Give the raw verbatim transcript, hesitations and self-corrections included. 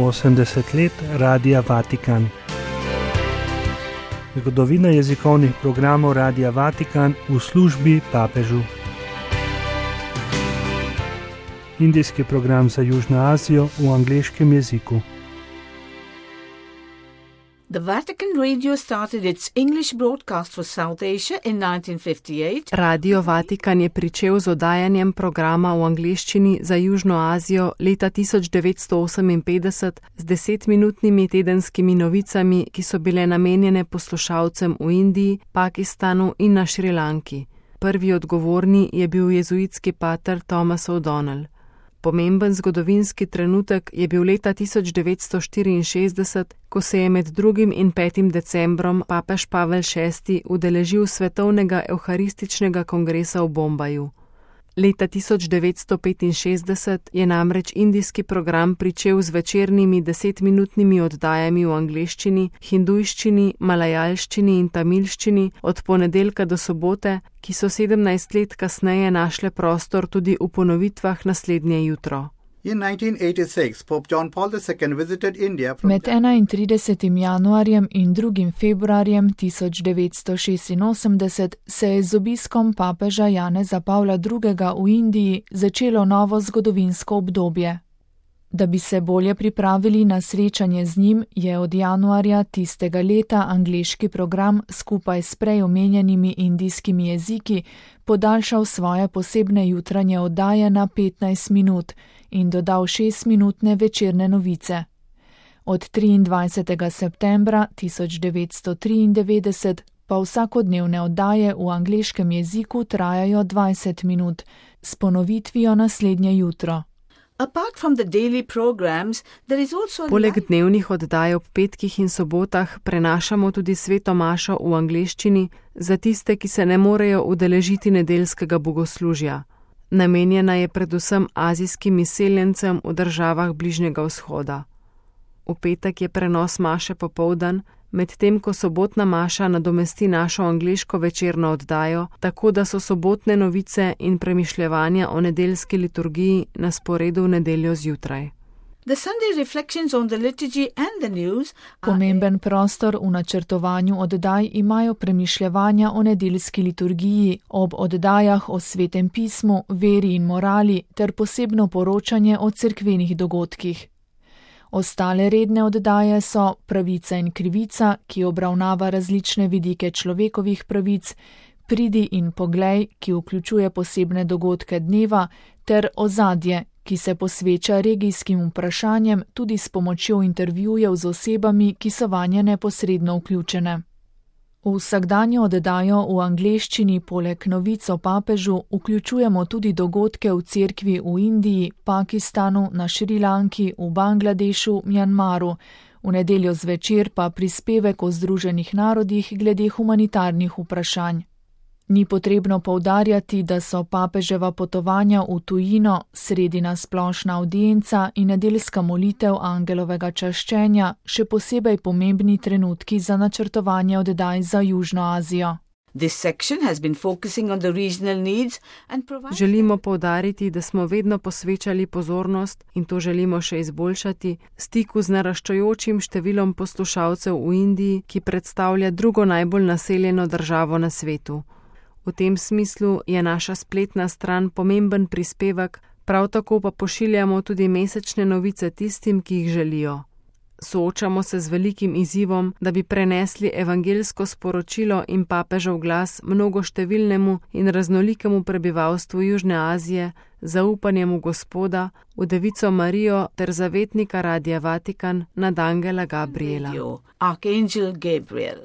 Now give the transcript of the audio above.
osemdeset let Radia Vatikan. Zgodovina jezikovnih programov Radia Vatikan v službi papežu. Indijski program za Južno Azijo v angleškem jeziku. The Vatican Radio started its English broadcast for South Asia in nineteen fifty-eight. Radio Vatikan je pričel z oddajanjem programa v angleščini za Južno Azijo leta tisoč devetsto oseminpetdeset z desetminutnimi tedenskimi novicami, ki so bile namenjene poslušalcem v Indiji, Pakistanu in na Šrilanki. Prvi odgovorni je bil jezuitski pater Thomas O'Donnell. Pomemben zgodovinski trenutek je bil leta tisoč devetsto štiriinšestdeset, ko se je med drugim in petim decembrom papež Pavel šesti udeležil svetovnega evharističnega kongresa v Bombaju. Leta tisoč devetsto petinšestdeset je namreč indijski program pričel z večernimi desetminutnimi oddajami v angleščini, hindujščini, malajalščini in tamilščini od ponedeljka do sobote, ki so sedemnajst let kasneje našle prostor tudi v ponovitvah naslednje jutro. Med enaintridesetim januarjem in drugim februarjem tisoč devetsto šestinosemdeset se je z obiskom papeža Janeza Pavla drugega v Indiji začelo novo zgodovinsko obdobje. Da bi se bolje pripravili na srečanje z njim, je od januarja tistega leta angleški program skupaj s prej omenjenimi indijskimi jeziki podaljšal svoje posebne jutranje oddaje na petnajst minut in dodal šestminutne večerne novice. Od triindvajsetega septembra tisoč devetsto triindevetdeset pa vsakodnevne oddaje v angleškem jeziku trajajo dvajset minut, s ponovitvijo naslednje jutro. Apart from the daily programs, there is also Poleg dnevnih oddaj ob petkih in sobotah prenašamo tudi sveto mašo v angleščini za tiste, ki se ne morejo udeležiti nedeljskega bogoslužja. Namenjena je predvsem azijskim izseljencem v državah Bližnjega vzhoda. V petek je prenos maše popoldan, medtem ko sobotna maša nadomesti našo angleško večerno oddajo, tako da so sobotne novice in premišljevanja o nedeljski liturgiji na sporedu v nedeljo zjutraj. The Sunday reflections on the liturgy and the news Pomemben prostor v načrtovanju oddaj imajo premišljevanja o nedeljski liturgiji, ob oddajah o svetem pismu, veri in morali ter posebno poročanje o cerkvenih dogodkih. Ostale redne oddaje so Pravica in krivica, ki obravnava različne vidike človekovih pravic, Pridi in poglej, ki vključuje posebne dogodke dneva, ter Ozadje, ki se posveča regijskim vprašanjem tudi s pomočjo intervjujev z osebami, ki so vanje neposredno vključene. V vsakdanjo oddajo v angleščini poleg novic o papežu vključujemo tudi dogodke v cerkvi v Indiji, Pakistanu, na Šrilanki, v Bangladešu, Mjanmaru, v nedeljo zvečer pa prispevek o Združenih narodih glede humanitarnih vprašanj. Ni potrebno poudarjati, da so papeževa potovanja v tujino, sredina splošna avdienca in nedeljska molitev angelovega čaščenja še posebej pomembni trenutki za načrtovanje oddaj za Južno Azijo. This section has been focusing on the regional needs and providing... Želimo poudariti, da smo vedno posvečali pozornost, in to želimo še izboljšati, stiku z naraščajočim številom poslušalcev v Indiji, ki predstavlja drugo najbolj naseljeno državo na svetu. V tem smislu je naša spletna stran pomemben prispevek, prav tako pa pošiljamo tudi mesečne novice tistim, ki jih želijo. Soočamo se z velikim izzivom, da bi prenesli evangeljsko sporočilo in papežev glas mnogoštevilnemu in raznolikemu prebivalstvu Južne Azije, zaupanjem v Gospoda, v Devico Marijo ter zavetnika Radia Vatikan nad angela Gabriela. Archangel Gabriel.